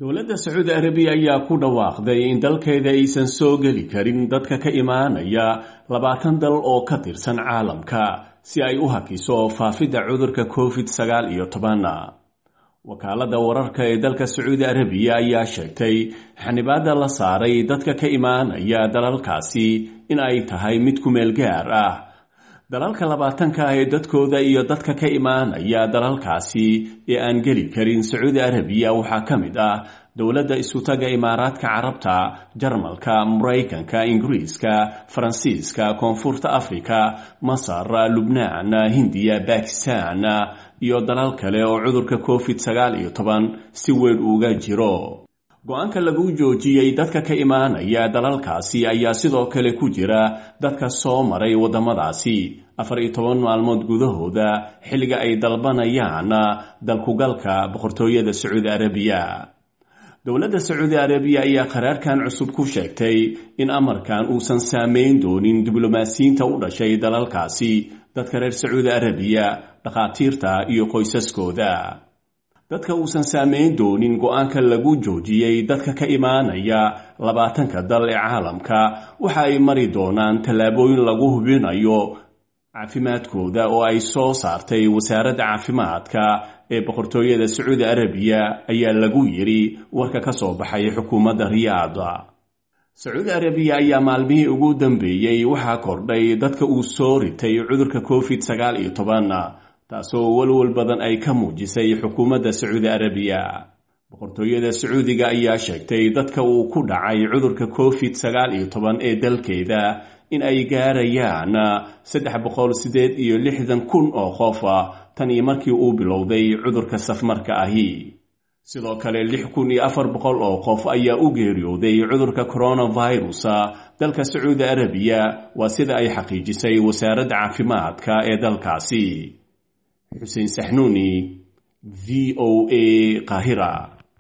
Dowladda Sacuudi Arabiya ayaa ku dhawaaqday in dalkeeda aysan soo geli karin dadka ka imaanaya 20 dal oo ka tirsan caalamka si ay u hakiso faafidda cudurka COVID-19. Wakaaladda wararka ee dalka Sacuudi Arabiya ayaa sheegtay xanibaadda la saaray dadka ka imaanaya dalalkaasi in ay tahay mid ku meel gaar ah. Dalalka 20-ka ah ee dadkooda iyo dadka ka imaanaya dalalkaasi ee aan geli karin Sacuudi Arabiya waxaa ka mid ah dowladda Isutaga Imaaraadka Carabta, Jarmalka, Maraykanka, Ingiriiska, Faransiiska, Koonfurta Afrika, Masar, Lubnaan, Hindiya, Bakistan iyo dalal kale oo cudurka COVID-19 si weyn uga jiro. Go-aanka lagu joojiyey dadka ka imaanaya dalalkaasi ayaa sidoo kale ku jira dadka soo maray waddamadaasi 14 maalmood gudahooda xilliga ay dalbanayaan dalkugalka boqortooyada Sacuudi Arabiya. Dowladda Sacuudi Arabiya ayaa qaraarkan cusub ku sheegtay in amarkan uusan saameyn doonin diblomaasiyiinta u dhashay dalalkaasi, dadka reer Sacuudi Arabiya, dhakhaatiirta iyo qoysaskooda. Dadka uusan saameyn doonin go-aanka lagu joojiyey dadka ka imaanaya 20-ka dal ee caalamka waxa ay mari doonaan tallaabooyin lagu hubinayo caafimaadkooda oo ay soo saartay wasaaradda caafimaadka ee boqortooyada Sacuudi Arabiya, ayaa lagu yiri warka ka soo baxay xukuumadda Riyaada. Sacuudi Arabiya ayaa maalmihii ugu dambeeyey waxaa kordhay dadka uu soo ritay cudurka COVID-19, taasoo walwal badan ay ka muujisay xukuumadda Sacuudi Arabiya. Boqortooyada Sacuudiga ayaa sheegtay dadka uu ku dhacay cudurka COVID-19 ee dalkeeda in ay gaarayaan 368,000 oo qof tan iyo markii uu bilowday cudurka safmarka ahi. Sidoo kale 6,400 oo qof ayaa u geeriyooday cudurka coronavirus dalka Sacuudi Arabiya, waa sida ay xaqiijisay wasaaradda caafimaadka ee dalkaasi. Xuseen Saxnuuni, VOA, Qaahira.